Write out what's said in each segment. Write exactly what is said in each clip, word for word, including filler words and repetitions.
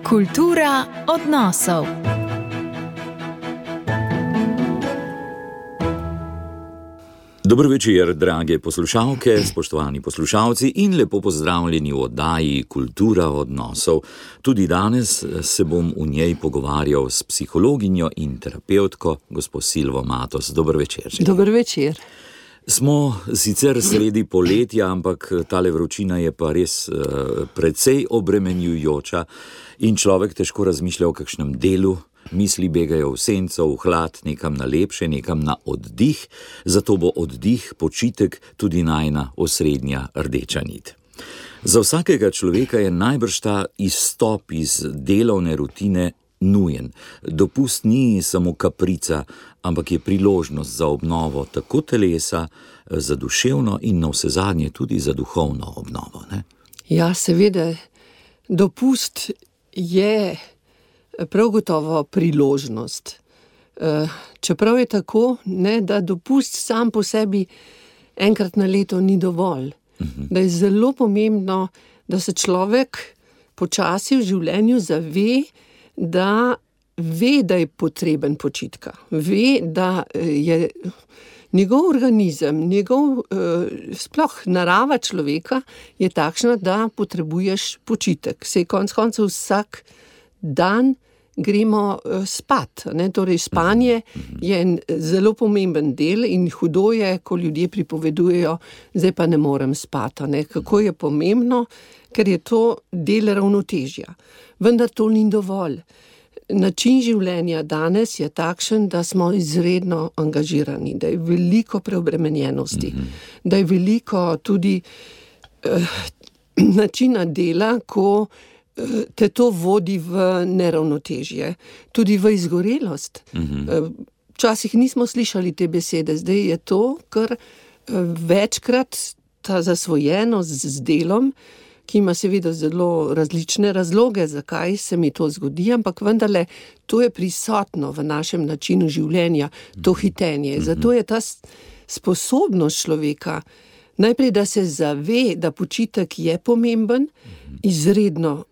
Kultura odnosov. Dobro večer, drage poslušalke, spoštovani poslušalci in lepo pozdravljeni v oddaji Kultura odnosov. Tudi danes se bom v njej pogovarjal s psihologinjo in terapevtko, gospo Silvo Matos. Dobro večer. Dobro večer. Smo sicer sredi poletja, ampak tale vročina je pa res uh, precej obremenjujoča in človek težko razmišlja o kakšnem delu. Misli begajo v senco, v hlad, nekam na lepše, nekam na oddih, zato bo oddih, počitek tudi najina osrednja rdeča nit. Za vsakega človeka je najbrž ta izstop iz delovne rutine nujen. Dopust ni samo kaprica, ampak je priložnost za obnovo tako telesa, za duševno in navsezadnje tudi za duhovno obnovo, ne? Ja, seveda, dopust je prav gotovo priložnost. Čeprav je tako, ne, da dopust sam po sebi enkrat na leto ni dovolj. Uh-huh. Da je zelo pomembno, da se človek počasi v življenju zave, da ve, da je potreben počitka. Ve, da je njegov organizem, njegov sploh narava človeka je takšna, da potrebuješ počitek. Sej konec koncev vsak dan gremo spat, ne? Torej spanje je en zelo pomemben del in hudo je, ko ljudje pripovedujejo, zdaj pa ne morem spati, ne? Kako je pomembno, ker je to del ravnotežja. Vendar to ni dovolj. Način življenja danes je takšen, da smo izredno angažirani, da je veliko preobremenjenosti, da je veliko tudi eh, načina dela, ko te to vodi v neravnotežje, tudi v izgorelost. Uh-huh. Včasih nismo slišali te besede, zdaj je to, ker večkrat ta zasvojenost z delom, ki ima seveda zelo različne razloge, zakaj se mi to zgodi, ampak vendarle to je prisotno v našem načinu življenja, to hitenje. Zato je ta sposobnost človeka, najprej, da se zave, da počitek je pomemben, izredno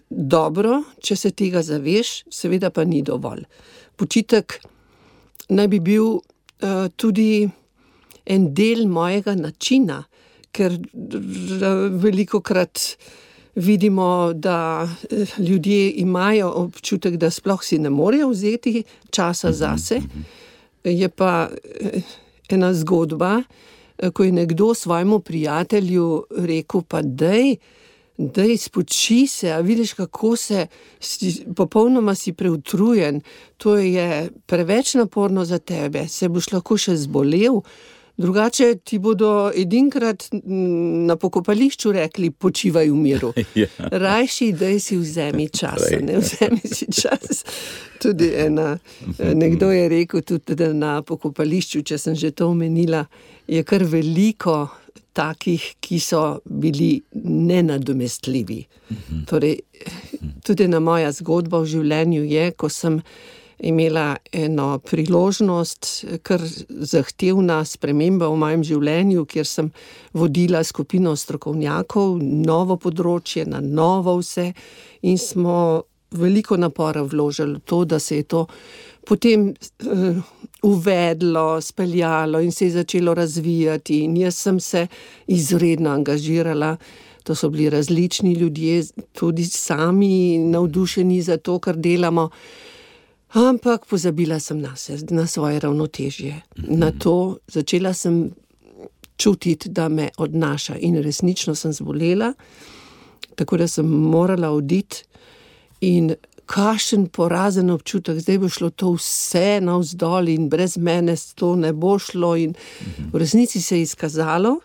dobro, če se tega zaveš, seveda pa ni dovolj. Počitek naj bi bil uh, tudi en del mojega načina, ker velikokrat vidimo, da ljudje imajo občutek, da sploh si ne morejo vzeti časa zase. Je pa ena zgodba, ko je nekdo svojemu prijatelju rekel, pa dej, dej, spoči se, a vidiš, kako se, si, popolnoma si preutrujen, to je preveč naporno za tebe, se boš lahko še zbolel, drugače ti bodo edinkrat na pokopališču rekli, počivaj v miru. Ja. Rajši, dej si vzemi čas, ne, vzemi si čas. Tudi ena, nekdo je rekel tudi, da na pokopališču, če sem že to omenila, je kar veliko takih, ki so bili nenadomestljivi. Uh-huh. Torej, tudi ena moja zgodba v življenju je, ko sem imela eno priložnost, kar zahtevna sprememba v mojem življenju, kjer sem vodila skupino strokovnjakov, novo področje, na novo vse, in smo veliko napora vložili v to, da se je to potem uh, uvedlo, speljalo in se je začelo razvijati in jaz sem se izredno angažirala. To so bili različni ljudje, tudi sami navdušeni za to, kar delamo, ampak pozabila sem na se, na svoje ravnotežje. Mm-hmm. Na to začela sem čutiti, da me odnaša in resnično sem zbolela, tako da sem morala oditi in kakšen porazen občutek, zdaj bo šlo to vse navzdol in brez mene to ne bo šlo in v resnici se je izkazalo,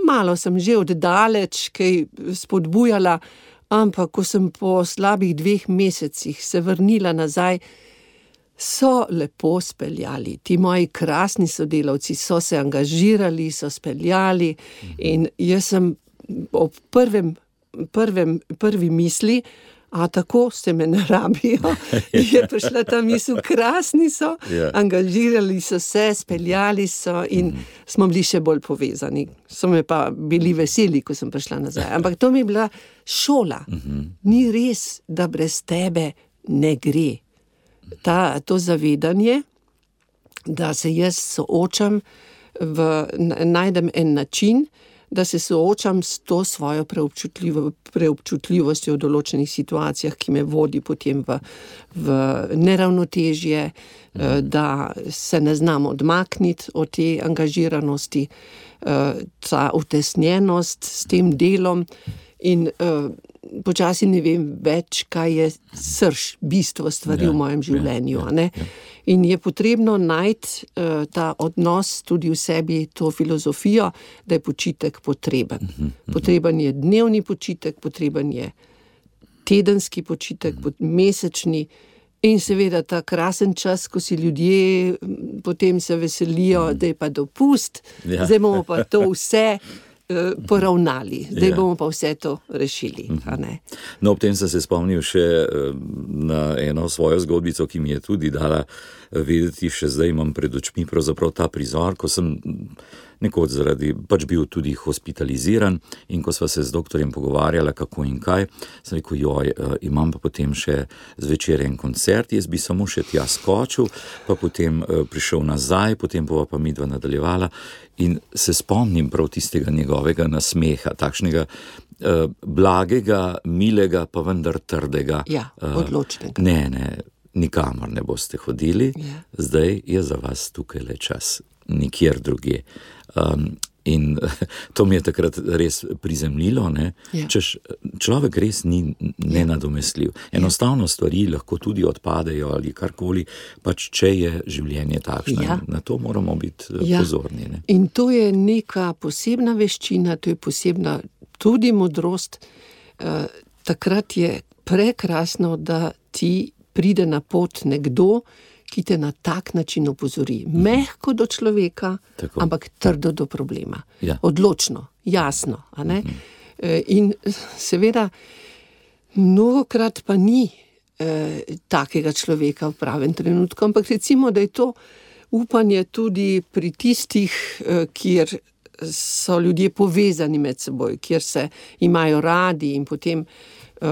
malo sem že oddaleč kaj spodbujala, ampak ko sem po slabih dveh mesecih se vrnila nazaj, so lepo speljali. Ti moji krasni sodelavci so se angažirali, so speljali in jaz sem ob prvem, prvem, prvi misli, a tako se me ne rabijo. Je prišla ta misel, krasni so, Ja. angažirali so se, speljali so in smo bili še bolj povezani. So me pa bili veseli, ko sem prišla nazaj. Ampak to mi je bila šola. Ni res, da brez tebe ne gre. Ta, to zavedanje, da se jaz soočam, v, najdem en način, da se soočam s to svojo preobčutljivo, preobčutljivostjo v določenih situacijah, ki me vodi potem v, v neravnotežje, mm. da se ne znam odmakniti od te angažiranosti, ta utesnjenost s tem delom in počasi ne vem več, kaj je srž, bistvo stvari ja, v mojem življenju. Ja, ja, ja. In je potrebno najti uh, ta odnos tudi v sebi, to filozofijo, da je počitek potreben. Uh-huh, uh-huh. Potreben je dnevni počitek, potreben je tedenski počitek, uh-huh. mesečni in seveda ta krasen čas, ko si ljudje potem se veselijo, uh-huh. da je pa dopust, ja. Zdaj bomo pa to vse poravnali. Zdaj ja. bomo pa vse to rešili. A ne? No, ob tem sem se spomnil še na eno svojo zgodbico, ki mi je tudi dala vedeti, še zdaj imam pred očmi pravzaprav ta prizor, ko sem nekoč zaradi, pač bil tudi hospitaliziran in ko sva se z doktorjem pogovarjala, kako in kaj, sem rekel, joj, imam pa potem še zvečer en koncert, jaz bi samo še tja skočil, pa potem prišel nazaj, potem bova pa midva nadaljevala in se spomnim prav tistega njegovega nasmeha, takšnega eh, blagega, milega, pa vendar trdega. Ja, odločnega. Ne, ne, nikamor ne boste hodili, ja. Zdaj je za vas tukaj le čas, nikjer drugje. Um, in to mi je takrat res prizemljilo, ne? Ja. Češ, človek res ni nenadomestljiv. Enostavno stvari lahko tudi odpadejo ali karkoli, pač če je življenje takšno. Ja. Na to moramo biti ja. pozorni. Ne? In to je neka posebna veščina, to je posebna tudi modrost. Uh, takrat je prekrasno, da ti pride na pot nekdo, ki te na tak način opozori. Mehko do človeka, tako. Ampak trdo do problema. Ja. Odločno, jasno. A ne? Mm-hmm. In seveda, mnogokrat pa ni eh, takega človeka v pravem trenutku, ampak recimo, da je to upanje tudi pri tistih, eh, kjer so ljudje povezani med seboj, kjer se imajo radi in potem eh,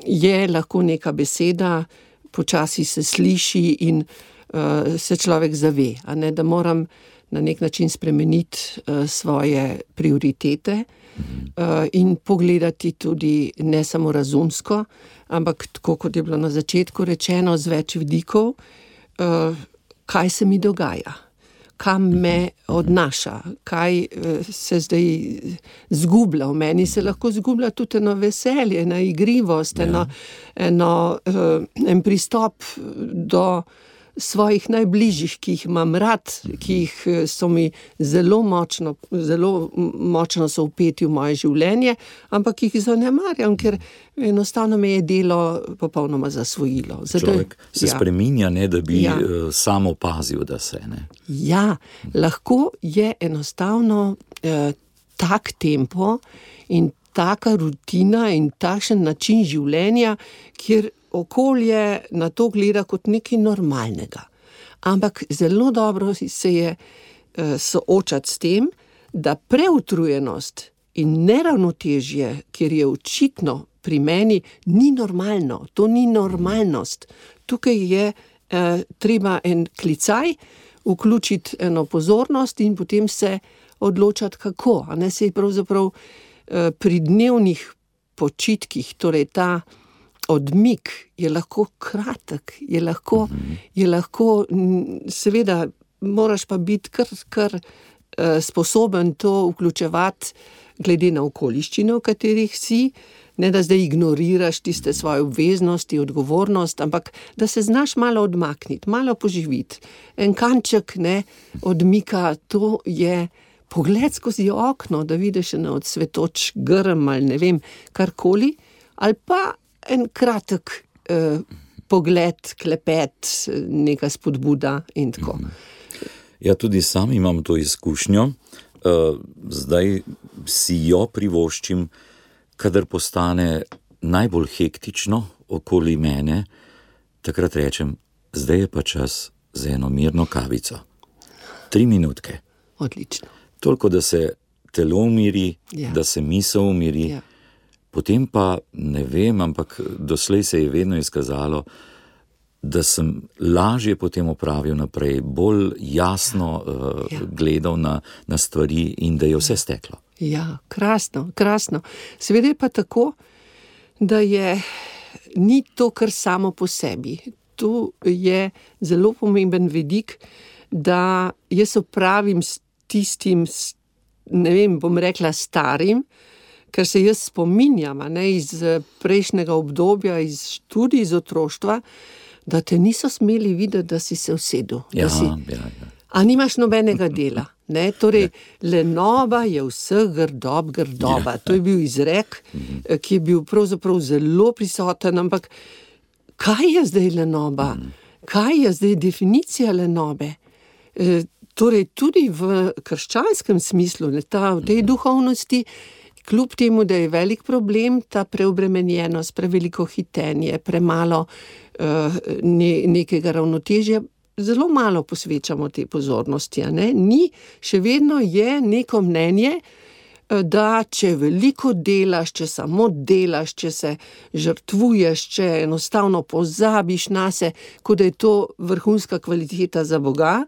je lahko neka beseda, počasi se sliši in uh, se človek zave, a ne, da moram na nek način spremeniti uh, svoje prioritete uh, in pogledati tudi ne samo razumsko, ampak tako, kot je bilo na začetku rečeno, z več vidikov, uh, kaj se mi dogaja, kam me odnaša, kaj uh, se zdaj zgublja. V meni se lahko zgublja tudi eno veselje, ena igrivost, ja. eno, eno, uh, en pristop do svojih najbližjih, ki jih imam rad, ki jih so mi zelo močno, zelo močno so vpeti v moje življenje, ampak jih zanemarjam, ker enostavno me je delo popolnoma zasvojilo. Zato, človek se ja. spreminja, ne, da bi ja. sam opazil, da se ne. Ja, lahko je enostavno eh, tak tempo in taka rutina in takšen način življenja, kjer okolje na to gleda kot nekaj normalnega. Ampak zelo dobro se je eh, soočati s tem, da preutrujenost in neravnotežje, kjer je očitno pri meni, ni normalno. To ni normalnost. Tukaj je eh, treba en klicaj, vključiti eno pozornost in potem se odločati kako. A ne, se je pravzaprav eh, pri dnevnih počitkih, torej ta odmik je lahko kratek, je lahko, je lahko, seveda moraš pa biti kar, kar uh, sposoben to vključevati glede na okoliščine, v katerih si, ne da zdaj ignoriraš tiste svoje obveznosti, odgovornost, ampak da se znaš malo odmakniti, malo poživiti. En kanček ne, odmika, to je pogled skozi okno, da vidiš eno odsvetoč grm ali ne vem, karkoli, ali pa en kratek eh, pogled, klepet, neka spodbuda in tako. Ja, tudi sam imam to izkušnjo. Uh, zdaj si jo privoščim, kadar postane najbolj hektično okoli mene, takrat rečem, zdaj je pa čas za eno mirno kavico. Tri minutke. Odlično. Toliko, da se telo umiri, Ja. da se misel umiri. Ja. Potem pa, ne vem, ampak doslej se je vedno izkazalo, da sem lažje potem opravil naprej, bolj jasno uh, Ja. gledal na, na stvari in da je vse steklo. Ja, krasno, krasno. Seveda je pa tako, da je ni to kar samo po sebi. Tu je zelo pomemben vidik, da jaz opravim s tistim, s- ne vem, bom rekla starim, ker se jaz spominjam, a ne, iz eh, prejšnjega obdobja, iz študij, iz otroštva, da te niso smeli videti, da si se usedel. Ja, Da si, ja, ja. a nimaš nobenega dela. Ne? Torej, lenoba je vseh grdob grdoba. To je bil izrek, eh, ki je bil pravzaprav zelo prisoten, ampak kaj je zdaj lenoba? Kaj je zdaj definicija lenobe? E, torej, tudi v krščanskem smislu, ne, ta, v tej duhovnosti, kljub temu, da je velik problem ta preobremenjenost, preveliko hitenje, premalo uh, ne, nekega ravnotežja, zelo malo posvečamo te pozornosti. A ne? Ni, še vedno je neko mnenje, eh, da če veliko delaš, če samo delaš, če se žrtvuješ, če enostavno pozabiš nase, kot da je to vrhunska kvaliteta za Boga,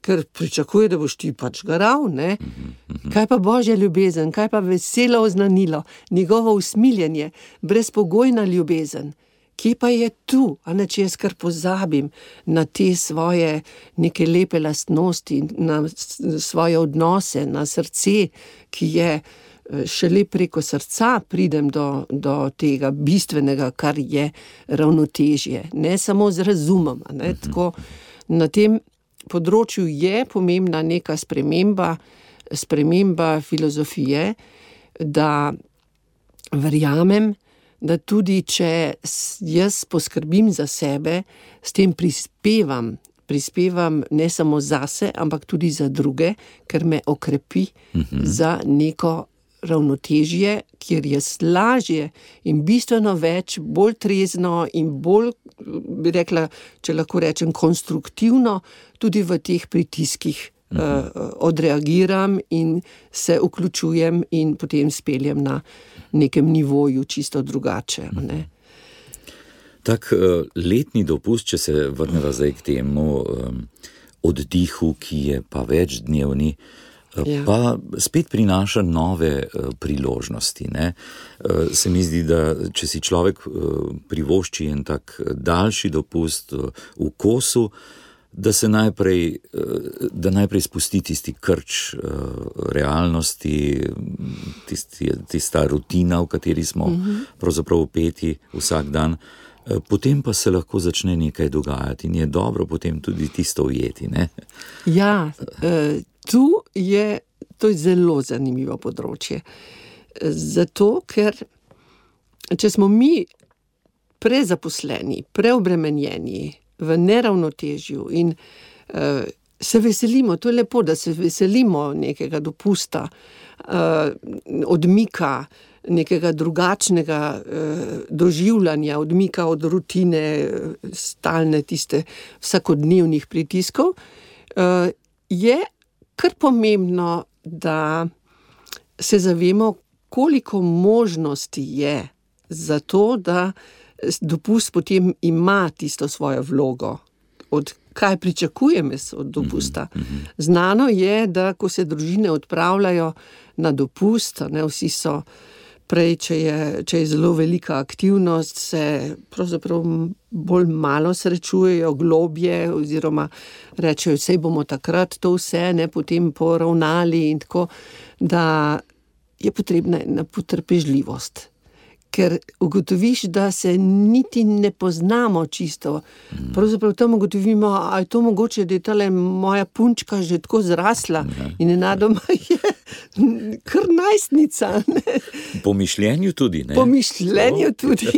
ker pričakuje, da boš ti pač garal, ne? Kaj pa božja ljubezen, kaj pa veselo oznanilo, njegovo usmiljenje, brezpogojna ljubezen. Kje pa je tu, a ne, če jaz kar pozabim na te svoje neke lepe lastnosti, na s- svoje odnose, na srce, ki je eh, šele preko srca pridem do, do tega bistvenega, kar je ravnotežje, ne samo z razumom. A ne, tako, na tem področju je pomembna neka sprememba, sprememba filozofije, da verjamem, da tudi če s- jaz poskrbim za sebe, s tem prispevam, prispevam ne samo zase, ampak tudi za druge, ker me okrepi za neko ravnotežje, kjer jaz lažje in bistveno več, bolj trezno in bolj, bi rekla, če lahko rečem, konstruktivno, tudi v teh pritiskih uh, odreagiram in se vključujem in potem speljem na nekem nivoju čisto drugače. a Ne? Tak eh, letni dopust, če se vrneva zdaj k temu um, oddihu, ki je pa večdnevni, eh, Ja. pa spet prinaša nove eh, priložnosti. Ne? Eh, Se mi zdi, da če si človek eh, privošči en tak eh, daljši dopust eh, v kosu, da se najprej, eh, da najprej spusti tisti krč eh, realnosti, tisti, tista rutina, v kateri smo pravzaprav vpeti vsak dan. Eh, Potem pa se lahko začne nekaj dogajati in je dobro potem tudi tisto ujeti. Ne? Ja, eh, tu je, to je zelo zanimivo področje. Eh, Zato, ker če smo mi prezaposleni, preobremenjeni, v neravnotežju in uh, se veselimo, to je lepo, da se veselimo nekega dopusta, uh, odmika, nekega drugačnega uh, doživljanja, odmika od rutine, uh, stalne tiste vsakodnevnih pritiskov, uh, je kar pomembno, da se zavemo, koliko možnosti je za to, da dopust potem ima tisto svojo vlogo. Od kaj pričakujem jaz od dopusta? Znano je, da ko se družine odpravljajo na dopust, a ne, vsi so prej, če je, če je zelo velika aktivnost, se pravzaprav bolj malo srečujejo, globje, oziroma rečejo, sej bomo takrat to vse, ne, potem poravnali in tako, da je potrebna ena potrpežljivost. Ker ugotoviš, da se niti ne poznamo čisto. Pravzaprav tam ugotovimo, a je to mogoče, da je tale moja punčka že tako zrasla in nenadoma je kar najstnica. Ne? Po mišljenju tudi. Ne? Po mišljenju tudi,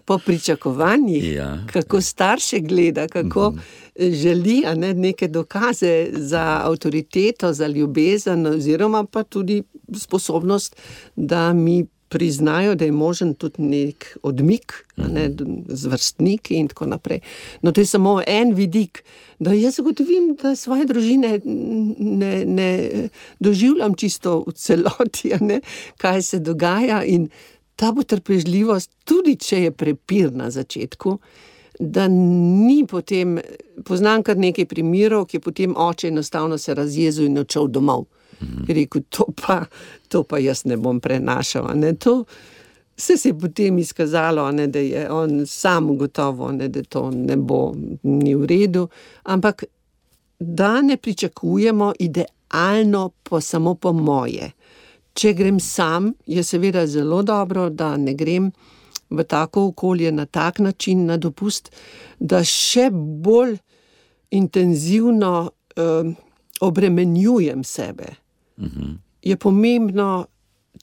po pričakovanjih, Ja. kako starše gleda, kako želi, a ne, neke dokaze za avtoriteto, za ljubezen, oziroma pa tudi sposobnost, da mi priznajo, da je možen tudi nek odmik, a ne, z vrstniki in tako naprej. No, to je samo en vidik, da jaz zagotovim, da svoje družine ne, ne doživljam čisto v celoti, a ne, kaj se dogaja, in ta potrpežljivost, tudi če je prepir na začetku, da ni potem, poznam kar nekaj primerov, ki je potem oče enostavno se razjezil in odšel domov. Je rekel, to pa, to pa jaz ne bom prenašal, a ne, to se je potem izkazalo, a ne, da je on sam gotovo, a ne, da to ne bo, ni v redu, ampak da ne pričakujemo idealno po, samo po moje. Če grem sam, je seveda zelo dobro, da ne grem v tako okolje na tak način na dopust, da še bolj intenzivno eh, obremenjujem sebe. Mm-hmm. Je pomembno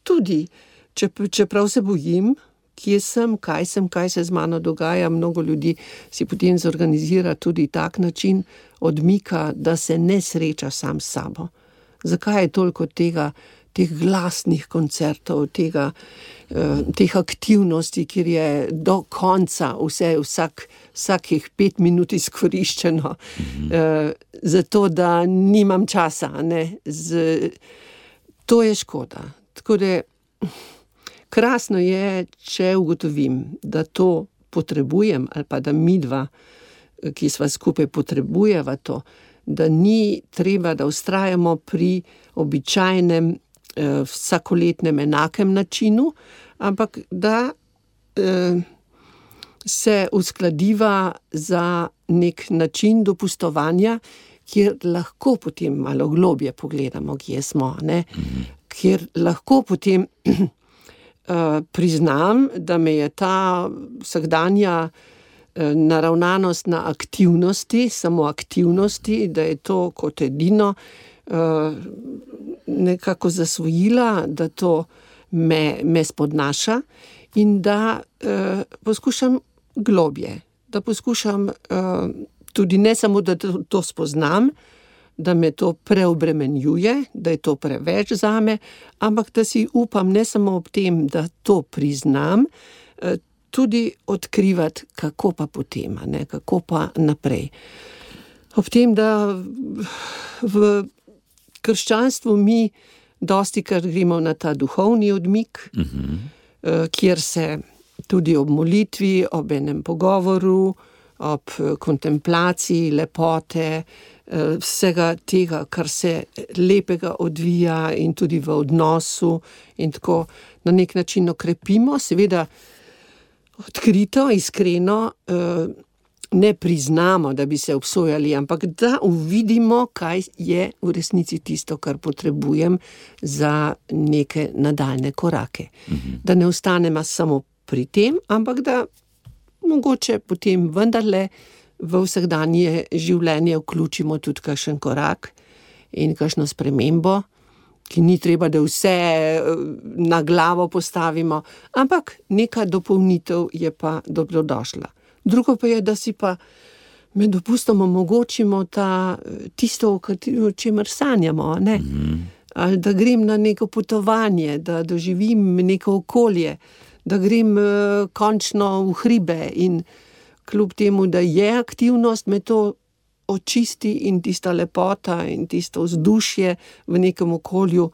tudi, če, čeprav se bojim, kje sem, kaj sem, kaj se z mano dogaja, mnogo ljudi si potem zorganizira tudi tak način odmika, da se ne sreča sam s sabo. Zakaj je toliko tega, teh glasnih koncertov, tega, eh, teh aktivnosti, kjer je do konca vse, vsak, vsakih pet minut izkoriščeno, mm-hmm. eh, zato da nimam časa, ne, z, to je škoda. Tako da krasno je, če ugotovim, da to potrebujem, ali pa da midva, ki sva skupaj, potrebujeva to, da ni treba, da vztrajamo pri običajnem vsakoletnem enakem načinu, ampak da eh, se uskladiva za nek način dopustovanja, kjer lahko potem malo globje pogledamo, kje smo, ne? Mm-hmm. Kjer lahko potem eh, priznam, da me je ta vsakdanja eh, naravnanost na aktivnosti, samo aktivnosti, da je to kot edino nekako zasvojila, da to me, me spodnaša in da uh, poskušam globje, da poskušam uh, tudi ne samo, da to, to spoznam, da me to preobremenjuje, da je to preveč zame, ampak da si upam ne samo ob tem, da to priznam, uh, tudi odkrivati, kako pa potem, ne, kako pa naprej. Ob tem, da v krščanstvu mi dosti kar gremo na ta duhovni odmik, mm-hmm. kjer se tudi ob molitvi, ob enem pogovoru, ob kontemplaciji lepote, vsega tega, kar se lepega odvija in tudi v odnosu in tako na nek način okrepimo, seveda odkrito, iskreno, ne priznamo, da bi se obsojali, ampak da uvidimo, kaj je v resnici tisto, kar potrebujem za neke nadaljne korake. Mm-hmm. Da ne ostanemo samo pri tem, ampak da mogoče potem vendarle v vsakdanje življenje vključimo tudi kakšen korak in kakšno spremembo, ki ni treba, da vse na glavo postavimo, ampak neka dopolnitev je pa dobrodošla. Drugo pa je, da si pa med dopustom omogočimo ta, tisto, o čemer sanjamo, ne? Mm-hmm. Ali da grem na neko potovanje, da doživim neko okolje, da grem uh, končno v hribe in kljub temu, da je aktivnost, me to očisti in tista lepota in tisto vzdušje v nekem okolju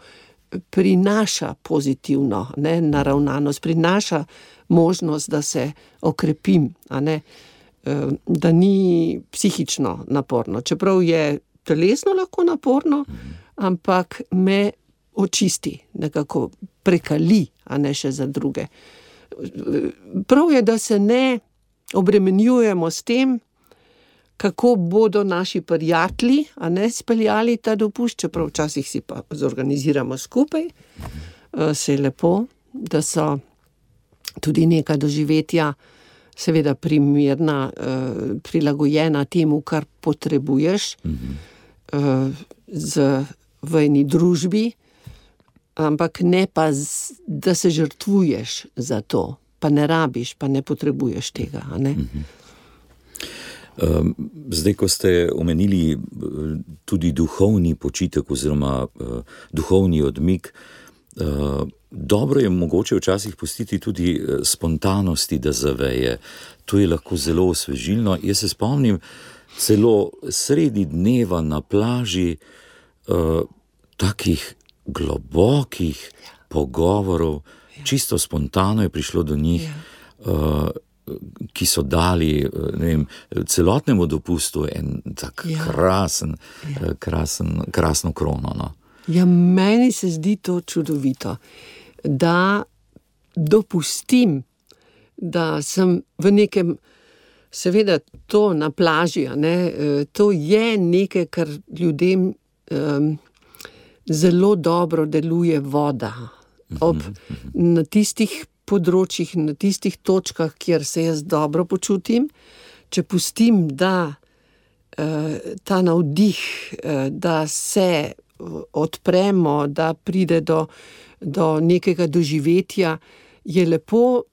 prinaša pozitivno, ne, naravnanost, prinaša možnost, da se okrepim, a ne, da ni psihično naporno. Čeprav je telesno lahko naporno, ampak me očisti, nekako prekali, a ne še za druge. Prav je, da se ne obremenjujemo s tem, kako bodo naši prijatelji, a ne, speljali ta dopust, čeprav včasih si pa zorganiziramo skupaj, se je lepo, da so tudi neka doživetja seveda primerna, prilagojena temu, kar potrebuješ z, v eni družbi, ampak ne pa, z, da se žrtvuješ za to, pa ne rabiš, pa ne potrebuješ tega, a ne? Zdaj, ko ste omenili tudi duhovni počitek oziroma duhovni odmik, Uh, dobro je mogoče včasih pustiti tudi spontanosti, da zaveje. To je lahko zelo osvežilno. Jaz se spomnim celo sredi dneva na plaži uh, takih globokih pogovorov, čisto spontano je prišlo do njih, uh, ki so dali ne vem, celotnemu dopustu en tak ja. krasen, ja. krasen, krasno krono. No. Ja, meni se zdi to čudovito, da dopustim, da sem v nekem, seveda to na plaži, ne, to je nekaj, kar ljudem um, zelo dobro deluje voda. Ob, na tistih področjih, na tistih točkah, kjer se jaz dobro počutim, če pustim, da uh, ta navdih, uh, da se odpremo, da pride do, do nekega doživetja, je lepo,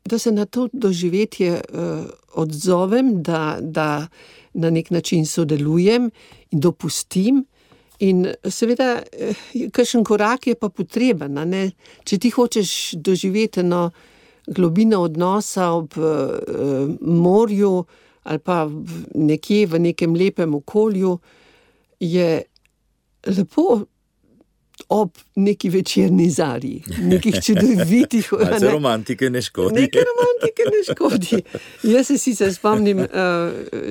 da se na to doživetje uh, odzovem, da, da na nek način sodelujem in dopustim. In seveda, kakšen korak je pa potreben, ne? Če ti hočeš doživeti eno globino odnosa ob uh, morju ali pa nekje v nekem lepem okolju, je lepo ob neki večerni zarji, nekih čudovitih... Malce ne, romantike ne škodi. Nekaj romantike ne škodi. Jaz se sicer spomnim uh,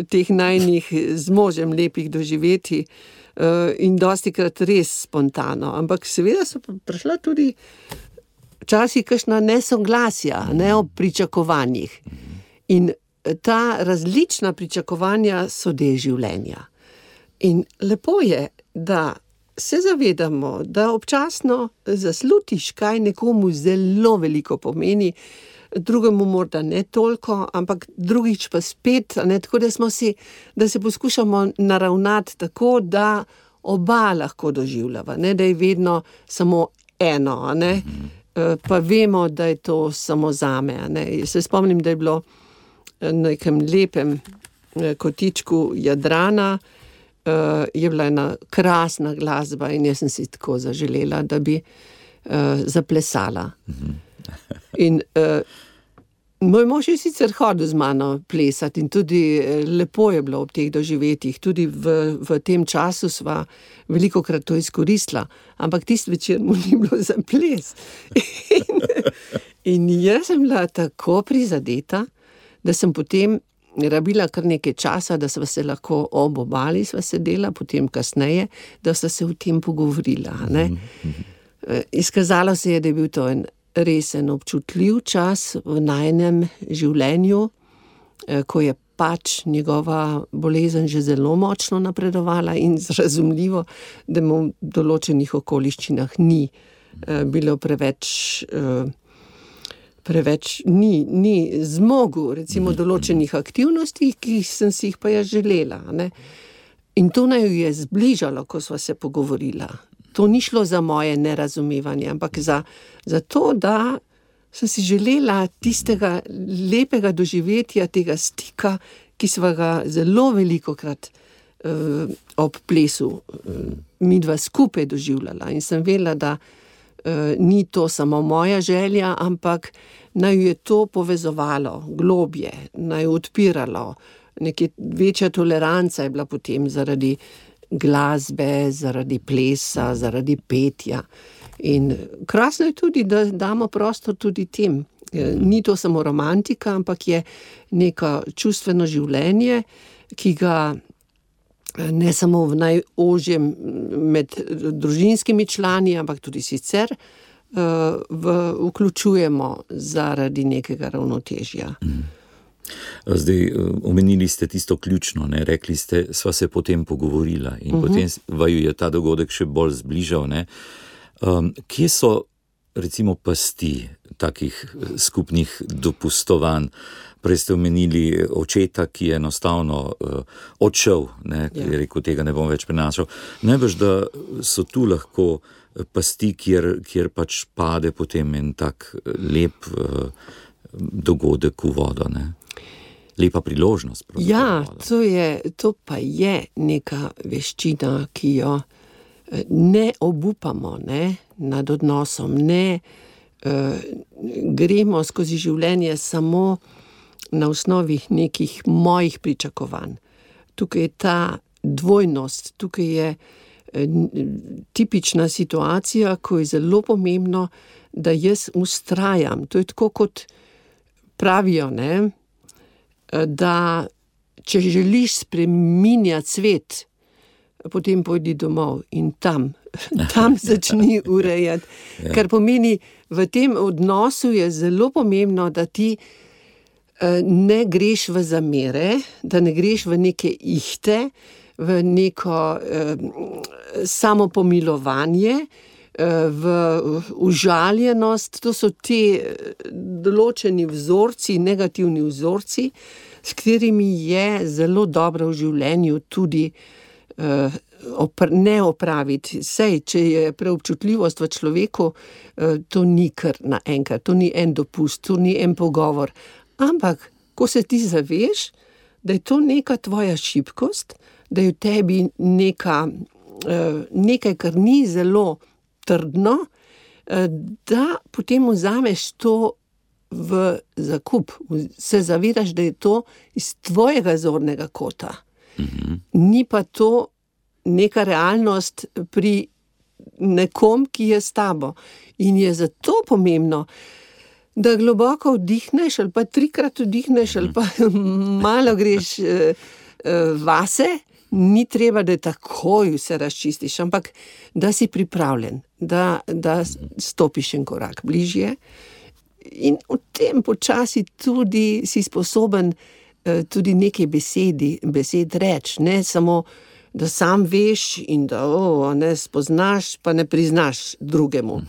teh najnih z možem lepih doživeti uh, in dostikrat res spontano, ampak seveda so prišla tudi včasih kakšna nesoglasja, ne ob pričakovanjih. In ta različna pričakovanja so del življenja. In lepo je, da se zavedamo, da občasno zaslutiš, kaj nekomu zelo veliko pomeni, drugemu morda ne toliko, ampak drugič pa spet, ne, tako da smo si, da se poskušamo naravnati tako, da oba lahko doživljava, ne, da je vedno samo eno, ne, pa vemo, da je to samo zame, ne. Se spomnim, da je bilo na nekem lepem kotičku Jadrana, Uh, je bila ena krasna glasba in jaz sem si tako zaželela, da bi uh, zaplesala. In uh, moj mož je sicer hodil z mano plesati in tudi lepo je bilo ob teh doživetjih, tudi v, v tem času sva velikokrat to izkoristila, ampak tisti večer mu ni bilo za ples. In, in jaz sem bila tako prizadeta, da sem potem rabila kar nekaj časa, da sva se lahko ob obali sva sedela, potem kasneje, da sva se o tem pogovorila. Ne? Izkazalo se je, da je bil to en resen občutljiv čas v najnem življenju, ko je pač njegova bolezen že zelo močno napredovala in razumljivo, da mu v določenih okoliščinah ni bilo preveč... preveč ni, ni zmogel, recimo, določenih aktivnosti, ki sem si jih pa jaz želela. Ne? In to naj je zbližalo, ko sva se pogovorila. To ni šlo za moje nerazumevanje, ampak za, za to, da sem si želela tistega lepega doživetja, tega stika, ki sva ga zelo velikokrat uh, ob plesu uh, midva skupaj doživljala. In sem vedela, da uh, ni to samo moja želja, ampak naj je to povezovalo globje, naj odpiralo, nekaj večja toleranca je bila potem zaradi glasbe, zaradi plesa, zaradi petja. In krasno je tudi, da damo prostor tudi tem. Ni to samo romantika, ampak je neko čustveno življenje, ki ga ne samo v najožjem med družinskimi člani, ampak tudi sicer V, vključujemo zaradi nekega ravnotežja. Zdaj, omenili ste tisto ključno, ne? Rekli ste, sva se potem pogovorila in uh-huh. potem vaju je ta dogodek še bolj zbližal. Ne? Um, kje so, recimo, pasti takih skupnih dopustovanj? Prej ste omenili očeta, ki je enostavno uh, odšel, ne? Ja. Je rekel, tega ne bom več prenašal. Najbrž, da so tu lahko pasti, kjer, kjer pač pade potem en tak lep uh, dogodek v vodo, ne? Lepa priložnost. Ja, to, je, to pa je neka veščina, ki jo ne obupamo, ne, nad odnosom, ne uh, gremo skozi življenje samo na osnovi nekih mojih pričakovanj. Tukaj je ta dvojnost, tukaj je tipična situacija, ko je zelo pomembno, da jaz vztrajam. To je tako, kot pravijo, ne, da če želiš spreminjati svet, potem pojdi domov in tam, tam začni urejati. Ja. Kar pomeni, v tem odnosu je zelo pomembno, da ti ne greš v zamere, da ne greš v neke ihte, v neko eh, samopomilovanje, eh, v užaljenost. To so ti določeni vzorci, negativni vzorci, s katerimi je zelo dobro v življenju tudi eh, opr- ne opraviti. Sej, če je preobčutljivost v človeku, eh, to ni kar naenkrat, to ni en dopust, to ni en pogovor. Ampak, ko se ti zaveš, da je to neka tvoja šibkost, da je v tebi neka, nekaj, kar ni zelo trdno, da potem vzameš to v zakup. Se zavedaš, da je to iz tvojega zornega kota. Mhm. Ni pa to neka realnost pri nekom, ki je s tabo. In je zato pomembno, da globoko vdihneš, ali pa trikrat vdihneš, ali pa malo greš vase. Ni treba, da takoj vse razčistiš, ampak da si pripravljen, da, da stopiš en korak bližje in v tem počasi tudi si sposoben tudi nekaj besedi, besed reči, ne samo, da sam veš in da o, ne spoznaš, pa ne priznaš drugemu.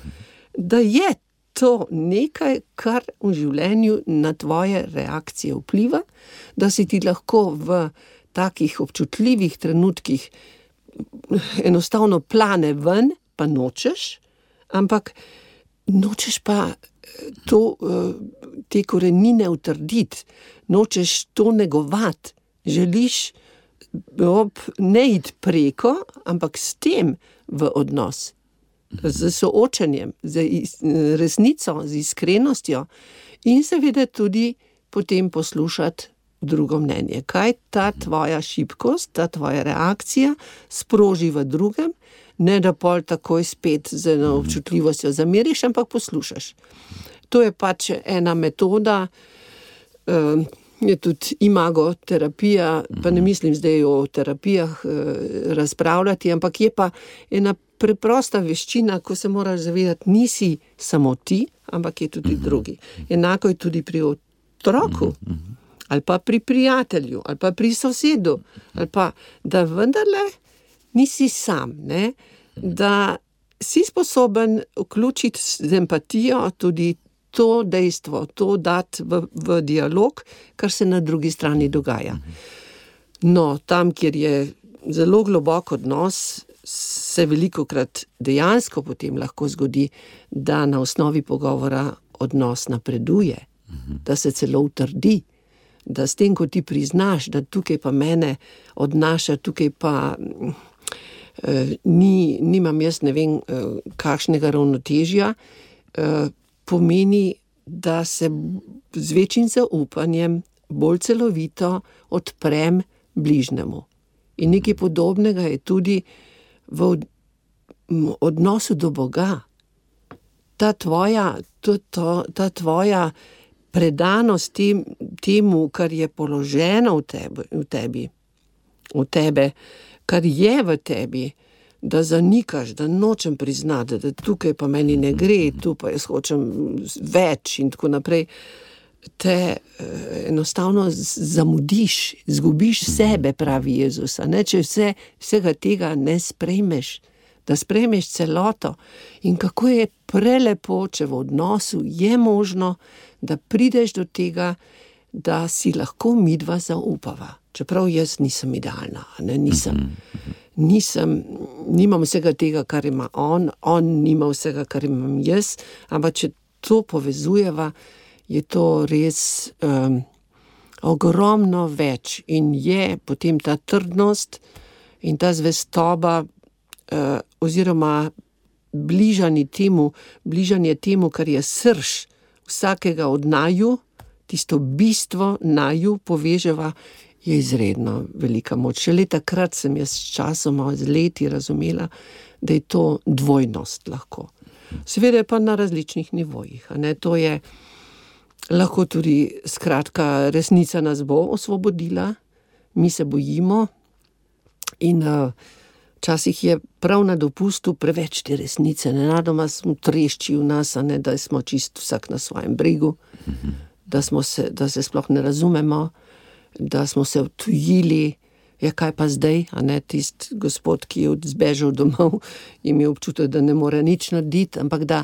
Da je to nekaj, kar v življenju na tvoje reakcije vpliva, da si ti lahko v takih občutljivih trenutkih enostavno plane ven, pa nočeš, ampak nočeš pa to, te korenine utrditi, nočeš to negovati, želiš ne iti preko, ampak s tem v odnos, z soočenjem, z resnico, z iskrenostjo in seveda tudi potem poslušati drugo mnenje. Kaj ta tvoja šibkost, ta tvoja reakcija sproži v drugem, ne da pol takoj spet z eno občutljivostjo zameriš, ampak poslušaš. To je pač ena metoda, eh, je tudi imagoterapija, pa ne mislim zdaj o terapijah eh, razpravljati, ampak je pa ena preprosta veščina, ko se moraš zavedati, nisi samo ti, ampak je tudi drugi. Enako je tudi pri otroku, ali pa pri prijatelju, ali pa pri sosedu, ali pa, da vendarle nisi sam, ne? Da si sposoben vključiti z empatijo tudi to dejstvo, to dati v, v dialog, kar se na drugi strani dogaja. No, tam, kjer je zelo globok odnos, se velikokrat dejansko potem lahko zgodi, da na osnovi pogovora odnos napreduje, da se celo utrdi, da s tem, ko ti priznaš, da tukaj pa mene odnaša, tukaj pa eh, ni, nimam jaz ne vem eh, kakšnega ravnotežja, eh, pomeni, da se z večjim zaupanjem bolj celovito odprem bližnjemu. In nekaj podobnega je tudi v odnosu do Boga. Ta tvoja, to, to, ta tvoja predanost tem, temu, kar je položeno v tebi, v tebi, v tebe, kar je v tebi, da zanikaš, da nočem priznati, da tukaj pa meni ne gre, tu pa jaz hočem več in tako naprej, te eh, enostavno zamudiš, zgubiš sebe, pravi Jezus, a ne, če vse, vsega tega ne sprejmeš, da sprejmeš celoto. In kako je prelepo, če v odnosu je možno, da prideš do tega, da si lahko midva zaupava. Čeprav jaz nisem idealna, ne, nisem, nisem, nimam vsega tega, kar ima on, on nima vsega, kar imam jaz, ampak če to povezujeva, je to res um, ogromno več in je potem ta trdnost in ta zvestoba uh, oziroma bližanje temu, bližanje temu, kar je srž vsakega od naju, tisto bistvo naju poveževa, je izredno velika moč. Šele takrat sem jaz s časoma, z leti razumela, da je to dvojnost lahko. Seveda pa na različnih nivojih. A ne? To je lahko tudi, skratka, resnica nas bo osvobodila, mi se bojimo in uh, včasih je prav na dopustu preveč te resnice. Nenadoma smo trešči v nas, a ne, da smo čisto vsak na svojem bregu, mm-hmm. da, smo se, da se sploh ne razumemo, da smo se odtujili. Ja, kaj pa zdaj, a ne, tist gospod, ki je zbežal domov, imel občutek, da ne more nič narediti, ampak da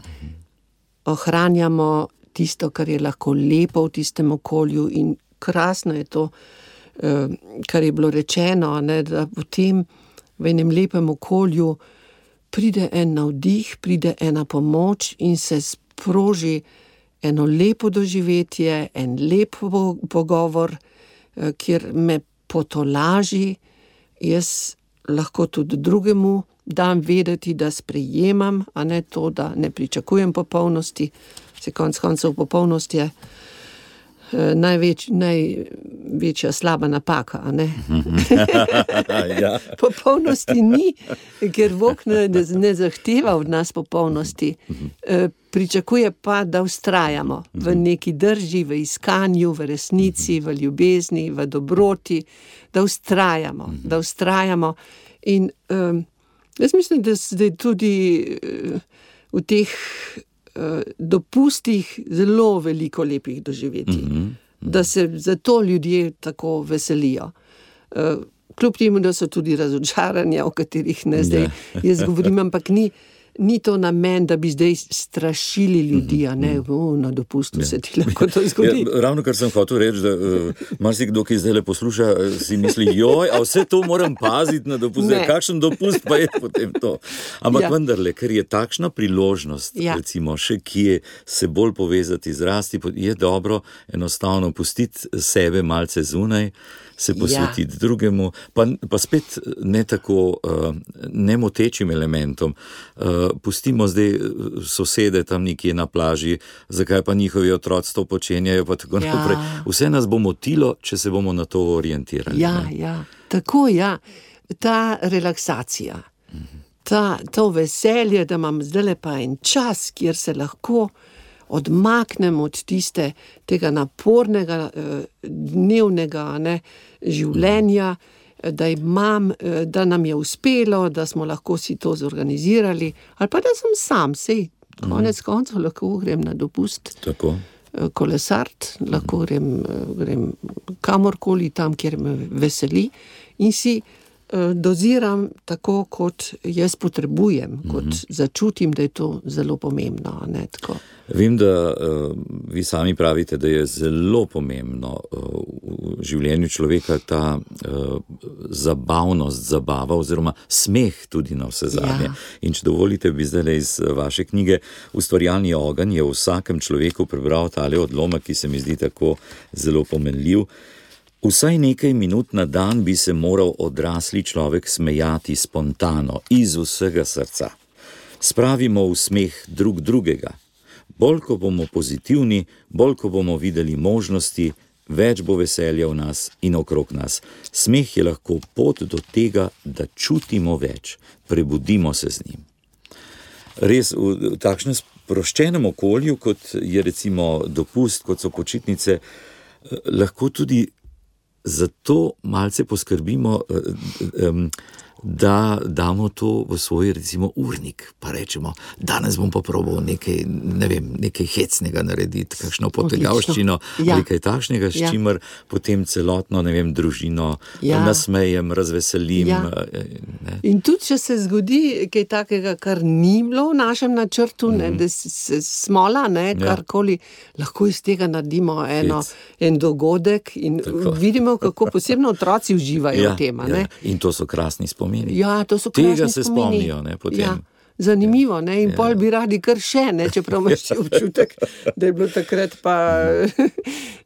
ohranjamo tisto, kar je lahko lepo v tistem okolju in krasno je to, kar je bilo rečeno, a ne, da potem v enem lepem okolju pride en navdih, pride ena pomoč in se sproži eno lepo doživetje, en lep pogovor, kjer me potolaži, jaz lahko tudi drugemu dam vedeti, da sprejemam, a ne to, da ne pričakujem popolnosti. Se konc koncev popolnost je eh, največ, največja slaba napaka, a ne? Ja. Popolnosti ni, ker Bog ne, ne zahteva od nas popolnosti. Eh, pričakuje pa, da vztrajamo v neki drži, v iskanju, v resnici, v ljubezni, v dobroti, da vztrajamo, da vztrajamo. In um, jaz mislim, da zdaj tudi uh, v teh uh, dopustih zelo veliko lepih doživetij, mm-hmm. da se zato ljudje tako veselijo. Uh, kljub temu, da so tudi razočaranja, o katerih ne zdaj jaz govorim, ampak ni Ni to namen, da bi zdaj strašili ljudi, a ne, o, na dopustu ja. Se ti lahko to zgodi. Ja, ravno kar sem hotel reči, da uh, marsikdo, ki zdaj le posluša, si misli, joj, a vse to moram paziti na dopust, kakšen dopust pa je potem to. Ampak ja. Vendarle, ker je takšna priložnost, ja. Recimo, še kje se bolj povezati z rasti, je dobro enostavno pustiti sebe malce zunaj, se posvetiti ja. Drugemu, pa, pa spet ne tako uh, nemotečim elementom. Uh, pustimo zdaj sosede tam nekje na plaži, zakaj pa njihovi otroci to počenjajo, pa tako ja. Naprej. Vse nas bo motilo, če se bomo na to orientirali. Ja, ne? Ja, tako ja. Ta relaksacija, ta, to veselje, da imam zdaj pa en čas, kjer se lahko odmaknem od tiste, tega napornega, dnevnega, ne, življenja, da imam, da nam je uspelo, da smo lahko si to zorganizirali, ali pa da sem sam, sej, konec koncev lahko grem na dopust, tako. Kolesart, lahko grem, grem kamorkoli tam, kjer me veseli in si doziram tako, kot jaz potrebujem, mm-hmm. kot začutim, da je to zelo pomembno. Ne, tako. Vem, da uh, vi sami pravite, da je zelo pomembno uh, v življenju človeka ta uh, zabavnost, zabava oziroma smeh tudi na vse zadnje. Ja. In če dovolite, bi zdaj iz vaše knjige Ustvarjalni ogenj je v vsakem človeku prebral tale odlomek, ki se mi zdi tako zelo pomenljiv. Vsaj nekaj minut na dan bi se moral odrasli človek smejati spontano, iz vsega srca. Spravimo v smeh drug drugega. Bolj, ko bomo pozitivni, bolj, ko bomo videli možnosti, več bo veselja v nas in okrog nas. Smeh je lahko pot do tega, da čutimo več, prebudimo se z njim. Res v takšnem sproščenem okolju, kot je recimo dopust, kot so počitnice, lahko tudi zato malce poskrbimo, da damo to v svoj, recimo, urnik, pa rečemo, danes bom pa probal nekaj, ne vem, nekaj hecnega narediti, kakšno potegavščino, ja. Ali kaj takšnega, s ja. Čimer potem celotno, ne vem, družino ja. Nasmejem, razveselim. Ja. Ne. In tudi, če se zgodi kaj takega, kar ni bilo v našem načrtu, mm. ne, da se smola, ne, karkoli, ja. Lahko iz tega naredimo eno, en dogodek in tako. Vidimo, kako posebno otroci uživajo ja, v tem. Ja. In to so krasni spomini. Ja, to so krasni Tega se spomini. Spomnijo, ne, potem. Ja. zanimivo, ne, in pol bi radi kar še, ne, čeprav imaš ti občutek, da je bilo takrat pa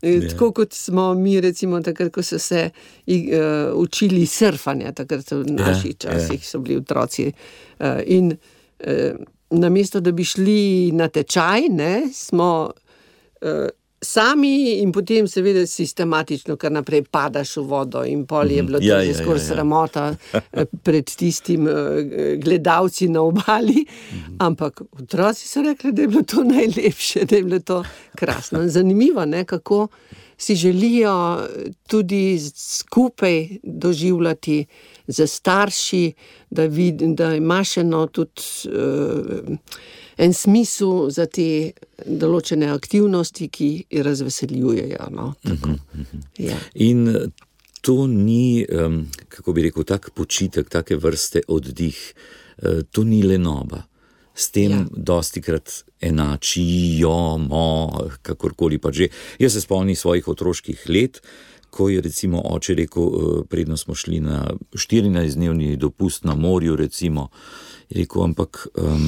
tako, kot smo mi recimo takrat, ko so se uh, učili surfanja, takrat v naših časih so bili otroci uh, in uh, namesto, da bi šli na tečaj, ne, smo uh, sami in potem seveda sistematično kar naprej padaš v vodo in pol je bilo to ja, že ja, skoraj ja, ja. sramota pred tistim gledalci na obali, ampak otroci so rekli, da je bilo to najlepše, da je bilo to krasno. Zanimivo, ne, kako si želijo tudi skupaj doživljati za starši, da, vid, da imaš eno tudi uh, en smisel za te določene aktivnosti, ki razveseljujejo. No? Tako. Ja. In to ni, um, kako bi rekel, tak počitek, take vrste oddih, uh, to ni lenoba. S tem ja. dostikrat enačijo, mo, kakorkoli pa že. Jaz se spomnim svojih otroških let, ko je recimo oče rekel, predno smo šli na štirinajstdnevni dopust na morju, recimo, je rekel, ampak um,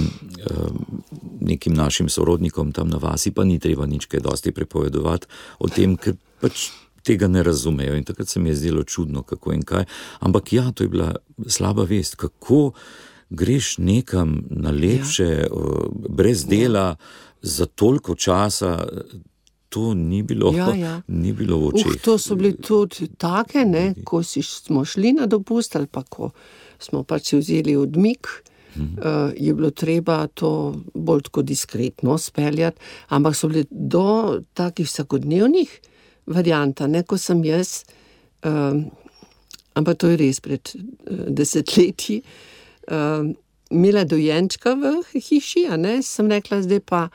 um, nekim našim sorodnikom tam na vasi pa ni treba nič kaj dosti prepovedovati o tem, ker pač tega ne razumejo. In takrat se mi je zdelo čudno, kako in kaj. Ampak ja, to je bila slaba vest, kako greš nekam na lepše, ja. brez dela, ja. za toliko časa. To ni bilo, ja, ja. ni bilo v očeh. Uh, to so bili tudi take, ne, ko si smo šli na dopust ali pa ko smo pač si vzeli odmik, hmm. uh, je bilo treba to bolj tako diskretno speljati, ampak so bili do takih vsakodnevnih varianta, ne, ko sem jaz, uh, ampak to je res pred uh, desetletji, uh, imela dojenčka v hiši, a ne, sem rekla, zdaj pa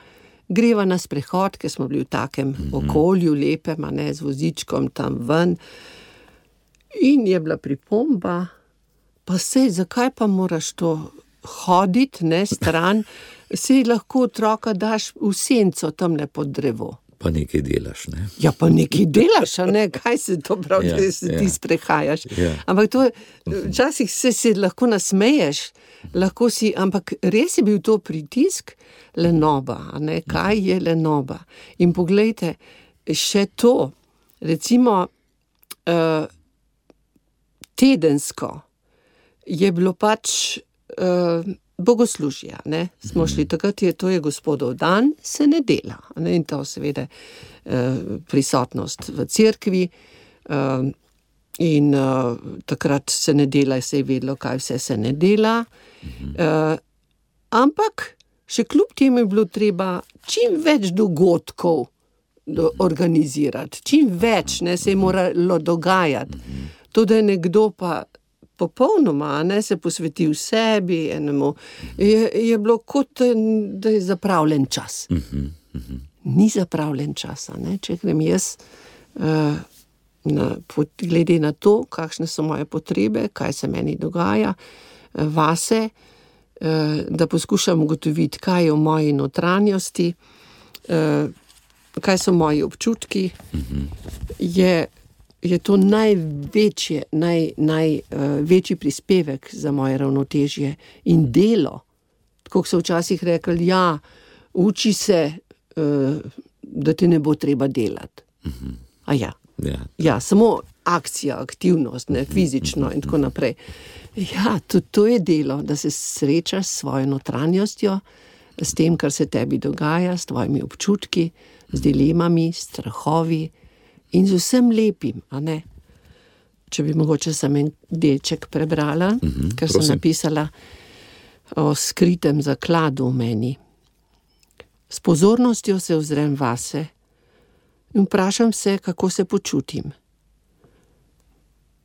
greva na sprehod, ker smo bili v takem mm-hmm. okolju, lepem, a ne, z vozičkom tam ven. In je bila pripomba, pa sej, zakaj pa moraš to hoditi, ne, stran, sej lahko otroka daš v senco tamle pod drevo. Pa nekaj delaš, ne? Ja, pa nekaj delaš, a ne, kaj se to pravi, ja, da se ja. ti sprehajaš. Ja. Ampak to, včasih se, se lahko nasmeješ, lahko si, ampak res je bil to pritisk, lenoba, a ne, kaj je lenoba. In poglejte, še to, recimo, uh, tedensko je bilo pač uh, bogoslužja, ne, smo šli, takrat je, to je gospodov dan, se ne dela, ne, in to seveda uh, prisotnost v cerkvi, uh, in uh, takrat se ne dela, se je vedelo, kaj vse se ne dela, uh, ampak še kljub temu je bilo treba čim več dogodkov do, organizirati, čim več, ne, se je moralo dogajati. To, da je nekdo pa popolnoma, ne, se posvetil sebi, enemu, je, je bilo kot, da je zapravljen čas. Ni zapravljen čas, ne, če grem jaz uh, na, glede na to, kakšne so moje potrebe, kaj se meni dogaja, uh, vase, da poskušam ugotoviti, kaj je v moji notranjosti, kaj so moji občutki, je, je to največje, naj, največji prispevek za moje ravnotežje in delo. Tako so včasih rekli, ja, uči se, da ti ne bo treba delati. A ja, ja, ja, samo akcija, aktivnost, ne, fizično in tako naprej. Ja, tudi to je delo, da se srečaš s svojo notranjostjo, s tem, kar se tebi dogaja, s tvojimi občutki, z dilemami, strahovi in z vsem lepim, a ne? Če bi mogoče sem en delček prebrala, mm-hmm, ker sem napisala o skritem zakladu v meni. S pozornostjo se ozrem vase in vprašam se, kako se počutim.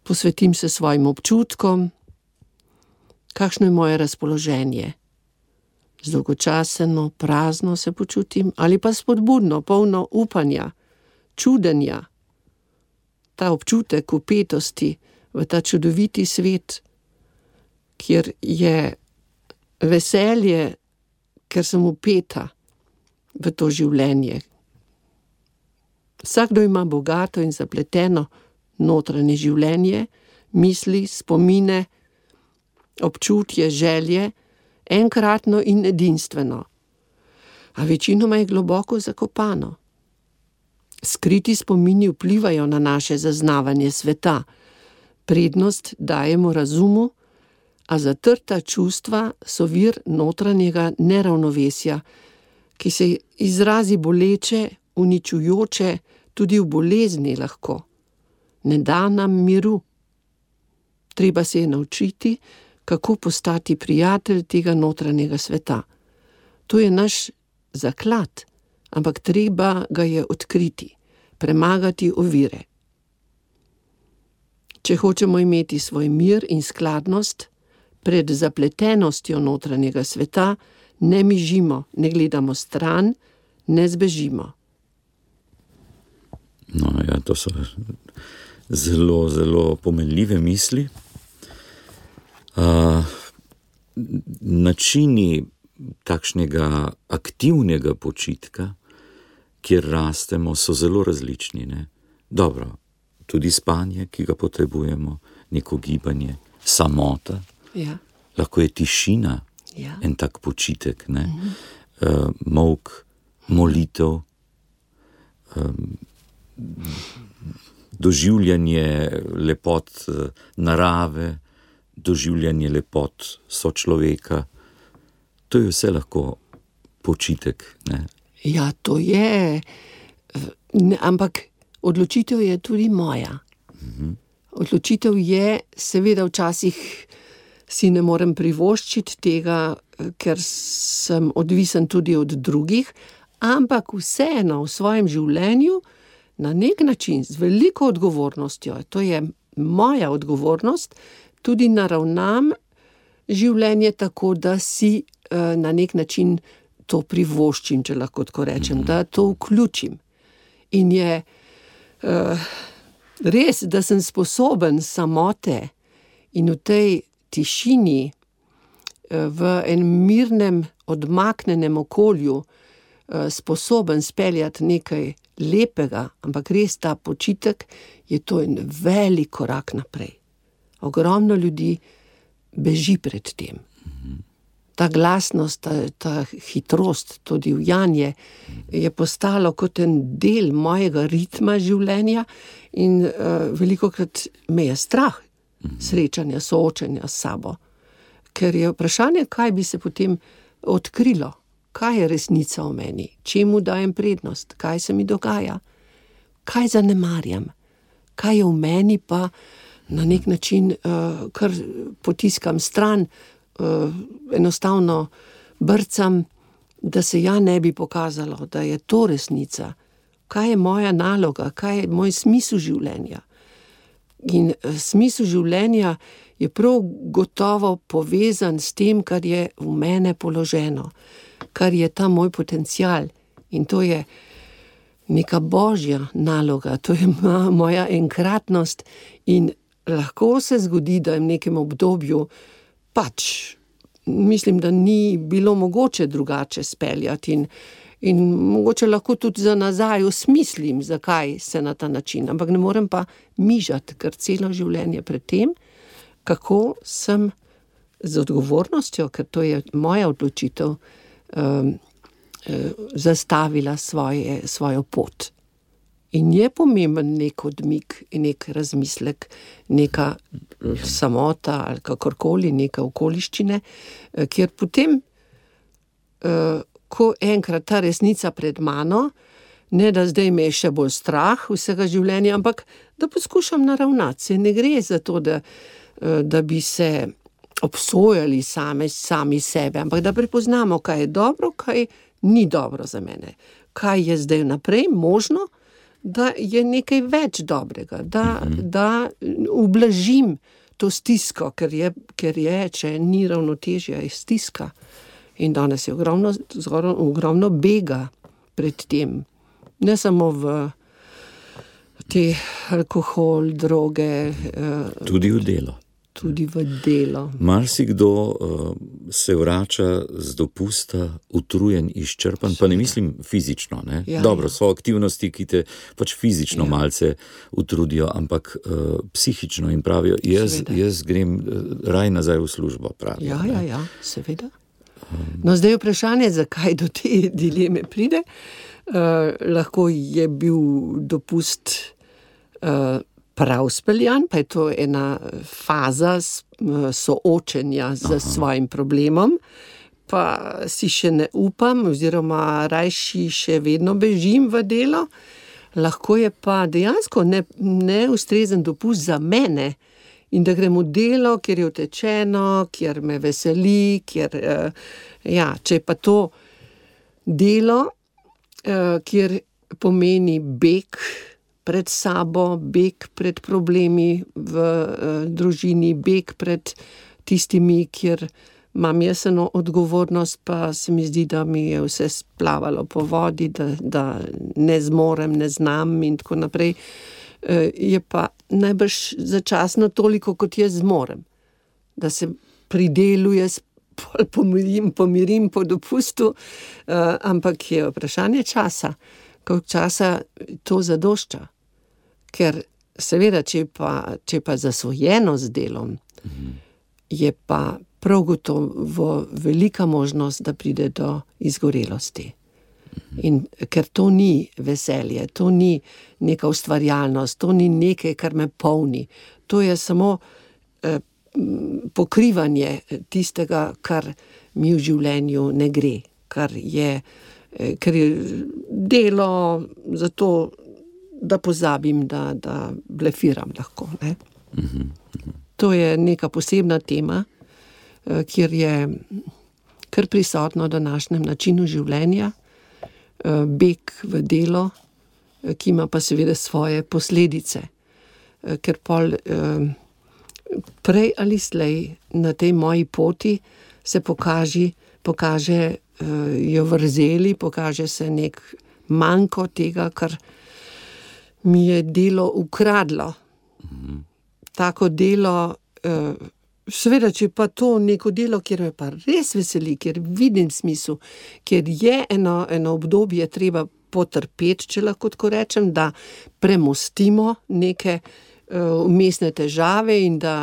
Posvetim se svojim občutkom, kakšno je moje razpoloženje. Zdolgočaseno, prazno se počutim ali pa spodbudno, polno upanja, čudenja. Ta občutek vpetosti v ta čudoviti svet, kjer je veselje, ker sem vpeta v to življenje. Vsakdo ima bogato in zapleteno notranje življenje, misli, spomine, občutje, želje, enkratno in edinstveno, a večinoma je globoko zakopano. Skriti spomini vplivajo na naše zaznavanje sveta, prednost dajemo razumu, a zatrta čustva so vir notranjega neravnovesja, ki se izrazi boleče, uničujoče, tudi v bolezni lahko. Ne da nam miru. Treba se je naučiti, kako postati prijatelj tega notranjega sveta. To je naš zaklad, ampak treba ga je odkriti, premagati ovire. Če hočemo imeti svoj mir in skladnost, pred zapletenostjo notranjega sveta ne mižimo, ne gledamo stran, ne zbežimo. No, ja, to so zelo, zelo pomenljive misli. Uh, načini takšnega aktivnega počitka, kjer rastemo, so zelo različni, ne? Dobro, tudi spanje, ki ga potrebujemo, neko gibanje, samota, Ja. lahko je tišina, Ja. en tak počitek, ne? Uh, molk, molitev, um, doživljanje lepot uh, narave, doživljanje lepot sočloveka. To je vse lahko počitek, ne? Ja, to je, ne, ampak odločitev je tudi moja. Odločitev je, seveda včasih si ne morem privoščiti tega, ker sem odvisen tudi od drugih, ampak vseeno v svojem življenju na nek način z veliko odgovornostjo, to je moja odgovornost, tudi naravnam življenje tako, da si eh, na nek način to privoščim, če lahko tako rečem, da to vključim. In je uh, res, da sem sposoben samote in v tej tišini, uh, v enem mirnem, odmaknenem okolju, uh, sposoben speljati nekaj lepega, ampak res ta počitek je to en velik korak naprej. Ogromno ljudi beži pred tem. Ta glasnost, ta, ta hitrost, to divjanje je postalo kot en del mojega ritma življenja in uh, velikokrat me je strah srečanja, soočenja s sabo. Ker je vprašanje, kaj bi se potem odkrilo, kaj je resnica v meni, čemu dajem prednost, kaj se mi dogaja, kaj zanemarjam, kaj je v meni pa na nek način uh, kar potiskam stran, Uh, enostavno brcam, da se ja ne bi pokazalo, da je to resnica. Kaj je moja naloga, kaj je moj smisel življenja? In uh, smisel življenja je prav gotovo povezan s tem, kar je v mene položeno, kar je ta moj potencial. In to je neka božja naloga, to je moja enkratnost in lahko se zgodi, da v nekem obdobju pač, mislim, da ni bilo mogoče drugače speljati in, in mogoče lahko tudi za nazaj osmislim, zakaj se na ta način, ampak ne morem pa mižati, ker celo življenje pred tem, kako sem z odgovornostjo, ker to je moja odločitev, um, zastavila svoje, svojo pot. In je pomemben nek odmik, nek razmislek, neka samota ali kakorkoli, neka okoliščine, kjer potem, ko enkrat ta resnica pred mano, ne da zdaj me je še bolj strah vsega življenja, ampak da poskušam naravnati se. Ne gre za to, da, da bi se obsojali same, sami sebe, ampak da prepoznamo, kaj je dobro, kaj ni dobro za mene. Kaj je zdaj naprej možno, da je nekaj več dobrega, da, mm-hmm. da ublažim to stisko, ker je, ker je, če ni ravnotežja, je stiska. In danes je ogromno, ogromno bega pred tem. Ne samo v te alkohol, droge. Tudi v delo. Tudi v delo. Marsikdo uh, se vrača z dopusta utrujen, izčrpan, pa ne mislim fizično, ne? Ja, Dobro, ja. so aktivnosti, ki te pač fizično Ja. malce utrudijo, ampak uh, psihično in pravijo, jaz, Seveda. jaz grem uh, raj nazaj v službo, pravijo. Ja, ne. ja, ja, seveda. No, zdaj je vprašanje, zakaj do te dileme pride. Uh, lahko je bil dopust uh, prav speljan, pa je to ena faza uh, soočenja z svojim problemom, pa si še ne upam, oziroma rajši še vedno bežim v delo. Lahko je pa dejansko ne, neustrezen dopust za mene in da grem v delo, kjer je utečeno, kjer me veseli, kjer, uh, ja, če je pa to delo, kjer pomeni beg pred sabo, beg pred problemi v uh, družini, beg pred tistimi, kjer imam jaz eno odgovornost, pa se mi zdi, da mi je vse splavalo po vodi, da, da ne zmorem, ne znam in tako naprej. Uh, je pa najbrž začasno toliko, kot jaz zmorem. Da se pri delu jaz pomirim, pomirim po dopustu, uh, ampak je vprašanje časa, koliko časa to zadošča. Ker seveda, če pa, če pa zasvojeno z delom, mhm. je pa prav gotovo velika možnost, da pride do izgorelosti. Mhm. In ker to ni veselje, to ni neka ustvarjalnost, to ni nekaj, kar me polni. To je samo uh, pokrivanje tistega, kar mi v življenju ne gre, kar je, kar je delo za to, da pozabim, da, da blefiram lahko. Ne? Mm-hmm. To je neka posebna tema, kjer je kar prisotno v današnjem načinu življenja, beg v delo, ki ima pa seveda svoje posledice, ker pol prej ali slej na tej moji poti se pokaži, pokaže uh, jo vrzeli, pokaže se nek manjko tega, kar mi je delo ukradlo. Mm-hmm. Tako delo, uh, seveda, če pa to neko delo, kjer me pa res veseli, kjer vidim smisel, kjer je eno, eno obdobje treba potrpeti, če lahko tako rečem, da premostimo neke vmesne težave in da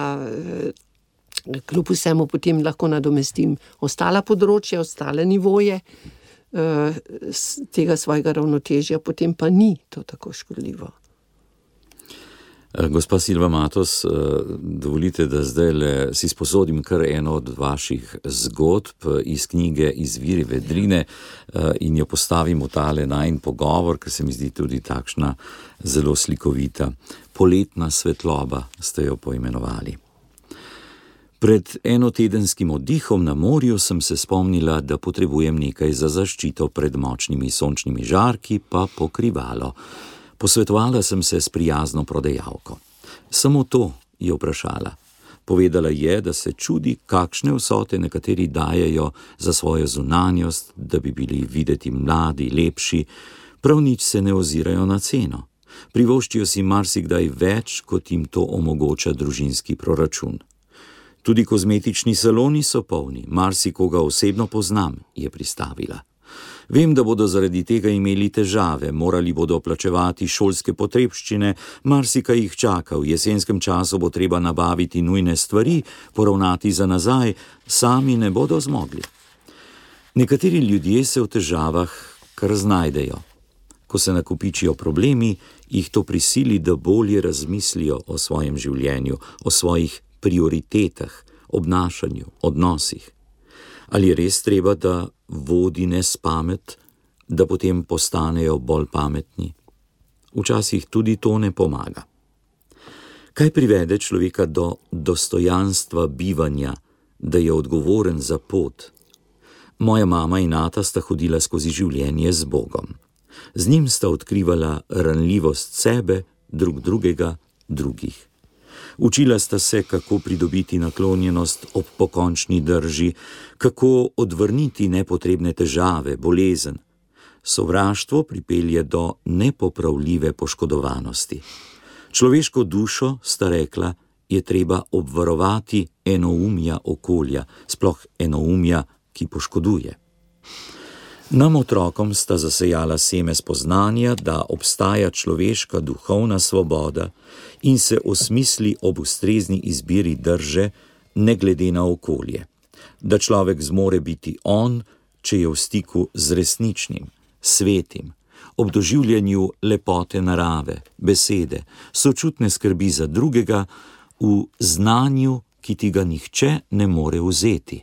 kljub vsemu potem lahko nadomestim ostala področja, ostale nivoje tega svojega ravnotežja, potem pa ni to tako škodljivo. Gospa Silva Matos, dovolite, da zdaj le si sposodim kar eno od vaših zgodb iz knjige Izviri vedrine in jo postavim v tale najin pogovor, ker se mi zdi tudi takšna zelo slikovita. Poletna svetloba ste jo poimenovali. Pred enotedenskim oddihom na morju sem se spomnila, da potrebujem nekaj za zaščito pred močnimi sončnimi žarki, pa pokrivalo. Posvetovala sem se s prijazno prodajalko. Samo to je vprašala. Povedala je, da se čudi, kakšne vsote nekateri dajejo za svojo zunanjost, da bi bili videti mladi, lepši, prav nič se ne ozirajo na ceno. Privoščijo si marsikdaj več, kot jim to omogoča družinski proračun. Tudi kozmetični saloni so polni, marsikoga osebno poznam, je pristavila. Vem, da bodo zaradi tega imeli težave, morali bodo plačevati šolske potrebščine, marsika jih čaka, v jesenskem času bo treba nabaviti nujne stvari, poravnati za nazaj, sami ne bodo zmogli. Nekateri ljudje se v težavah kar znajdejo. Ko se nakopičijo problemi, jih to prisili, da bolje razmislijo o svojem življenju, o svojih prioritetah, obnašanju, odnosih. Ali je res treba, da vodi nes pamet, da potem postanejo bolj pametni? Včasih tudi to ne pomaga. Kaj privede človeka do dostojanstva bivanja, da je odgovoren za pot? Moja mama in ata sta hodila skozi življenje z Bogom. Z njim sta odkrivala ranljivost sebe, drug drugega, drugih. Učila sta se, kako pridobiti naklonjenost ob pokončni drži, kako odvrniti nepotrebne težave, bolezen. Sovraštvo pripelje do nepopravljive poškodovanosti. Človeško dušo, sta rekla, je treba obvarovati enoumja okolja, sploh enoumja, ki poškoduje. Nam otrokom sta zasejala seme spoznanja, da obstaja človeška duhovna svoboda in se osmisli ob ustrezni izbiri drže, ne glede na okolje. Da človek zmore biti on, če je v stiku z resničnim, svetim, ob doživljanju lepote narave, besede, sočutne skrbi za drugega, v znanju, ki ti ga nihče ne more vzeti,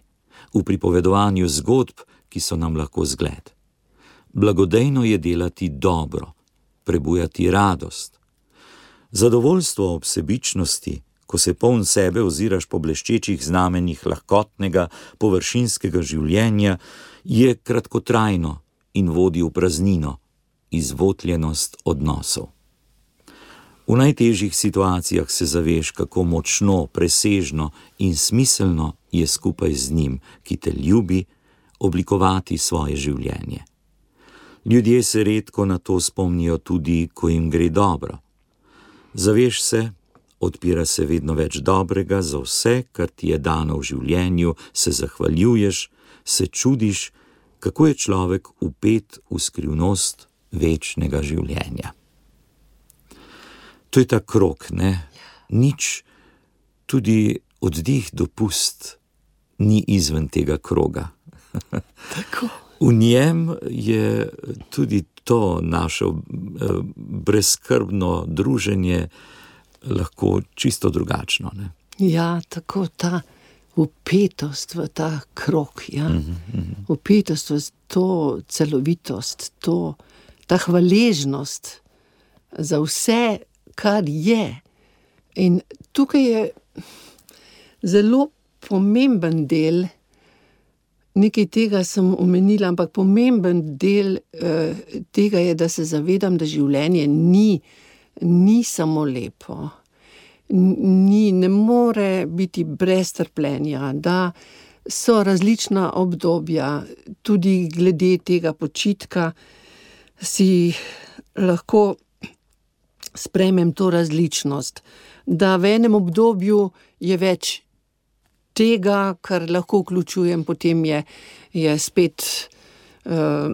v pripovedovanju zgodb, ki so nam lahko zgled. Blagodejno je delati dobro, prebujati radost. Zadovoljstvo ob sebičnosti, ko se poln sebe oziraš po bleščečih znamenjih lahkotnega, površinskega življenja, je kratkotrajno in vodi v praznino, izvotljenost odnosov. V najtežjih situacijah se zaveš, kako močno, presežno in smiselno je skupaj z njim, ki te ljubi, oblikovati svoje življenje. Ljudje se redko na to spomnijo tudi, ko jim gre dobro. Zaveš se, odpira se vedno več dobrega za vse, kar ti je dano v življenju, se zahvaljuješ, se čudiš, kako je človek vpet v skrivnost večnega življenja. To je ta krog, ne? Nič, tudi oddih, dopust, ni izven tega kroga. Tako. V njem je tudi to naše brezskrbno druženje lahko čisto drugačno, ne? Ja, tako ta vpetost v ta krog, ja. Mm-hmm. Vpetost v to celovitost, to, ta hvaležnost za vse, kar je. In tukaj je zelo pomemben del, nekaj tega sem omenila, ampak pomemben del eh, tega je, da se zavedam, da življenje ni, ni samo lepo. Ni, ne more biti brez trpljenja, da so različna obdobja, tudi glede tega počitka si lahko sprejmem to različnost, da v enem obdobju je več tega, kar lahko vključujem, potem je, je spet uh,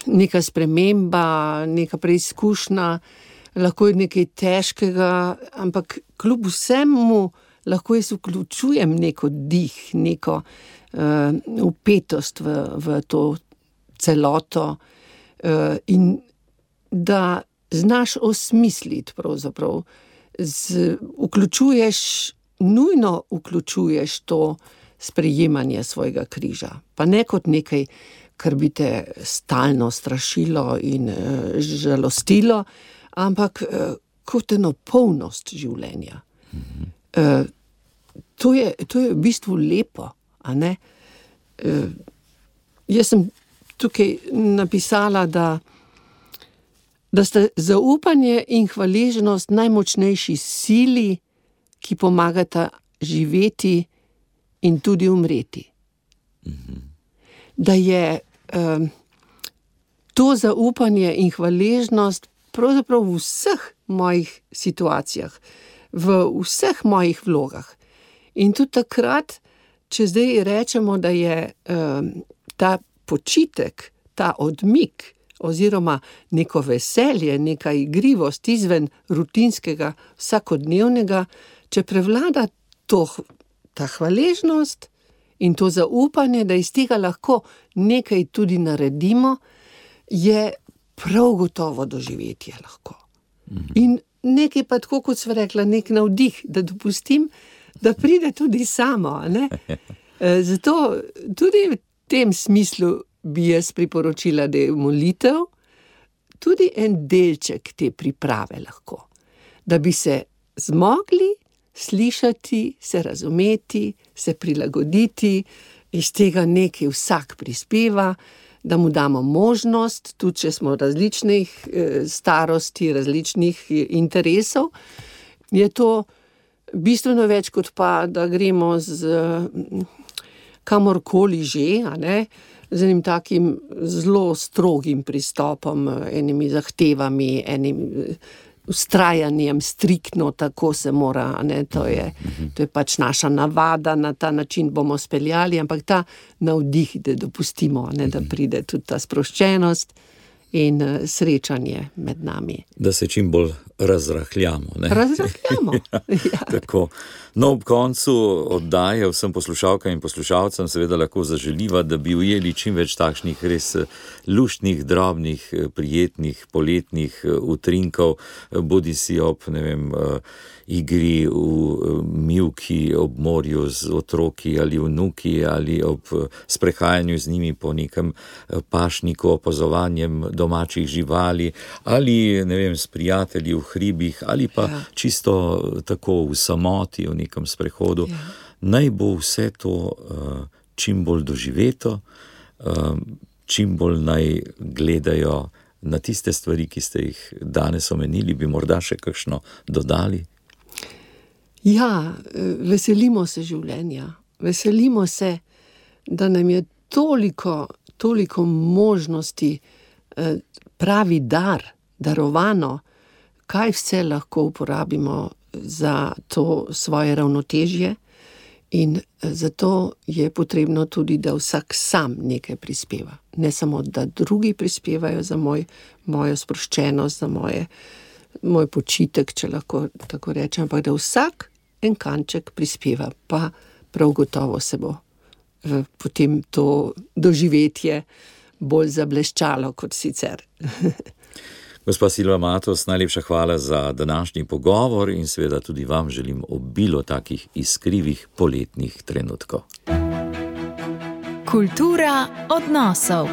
neka sprememba, neka preizkušnja, lahko je nekaj težkega, ampak kljub vsemu lahko jaz vključujem neko dih, neko uh, vpetost v, v to celoto uh, in da znaš osmisliti pravzaprav, z, vključuješ, nujno vključuješ to sprejemanje svojega križa, pa ne kot nekaj, kar bi te stalno strašilo in uh, žalostilo, ampak uh, kot eno polnost življenja. Mm-hmm. Uh, to je, to je v bistvu lepo, a ne? Uh, jaz sem tukaj napisala, da da sta zaupanje in hvaležnost najmočnejši sili, ki pomagata živeti in tudi umreti. Mm-hmm. Da je um, to zaupanje in hvaležnost pravzaprav v vseh mojih situacijah, v vseh mojih vlogah. In tudi takrat, če zdaj rečemo, da je um, ta počitek, ta odmik, oziroma neko veselje, neka igrivost izven rutinskega, vsakodnevnega, če prevlada to, ta hvaležnost in to zaupanje, da iz tega lahko nekaj tudi naredimo, je prav gotovo doživetje lahko. Mm-hmm. In nekaj pa tako, kot sva rekla, nek navdih, da dopustim, da pride tudi samo, ne? Zato tudi v tem smislu bi jaz priporočila, da je molitev tudi en delček te priprave lahko. Da bi se zmogli slišati, se razumeti, se prilagoditi, iz tega nekaj vsak prispeva, da mu damo možnost, tudi če smo različnih starosti, različnih interesov, je to bistveno več kot pa, da gremo z kamorkoli že, a ne, z enim takim zelo strogim pristopom, enimi zahtevami, enim vztrajanjem, striktno tako se mora, ne, to je, to je pač naša navada, na ta način bomo speljali, ampak ta navdih, da dopustimo, ne, da pride tudi ta sproščenost in srečanje med nami. Da se čim bolj razrahljamo. Ne? Razrahljamo. Ja, tako. No, ob koncu oddaje vsem poslušalkam in poslušalcem seveda lahko zaželiva, da bi ujeli čim več takšnih res luštnih, drobnih, prijetnih, poletnih utrinkov, bodi si ob, ne vem, igri v mivki ob morju z otroki ali vnuki ali ob sprehajanju z njimi po nekem pašniku, opazovanjem domačih živali ali, ne vem, s prijatelji v hribih ali pa ja. čisto tako v samoti, v nekem sprehodu. Ja. Naj bo vse to uh, čim bolj doživeto, uh, čim bolj naj gledajo na tiste stvari, ki ste jih danes omenili, bi morda še kakšno dodali? Ja, veselimo se življenja, veselimo se, da nam je toliko, toliko možnosti, pravi dar, darovano, kaj vse lahko uporabimo za to svoje ravnotežje in zato je potrebno tudi, da vsak sam nekaj prispeva. Ne samo, da drugi prispevajo za moj, mojo sproščenost, za moje, moj počitek, če lahko tako rečem, ampak da vsak en kanček prispeva, pa prav gotovo se bo potem to doživetje bolj zableščalo kot sicer. Gospa Silva Matos, najlepša hvala za današnji pogovor in seveda tudi vam želim obilo takih iskrivih poletnih trenutkov. Kultura odnosov.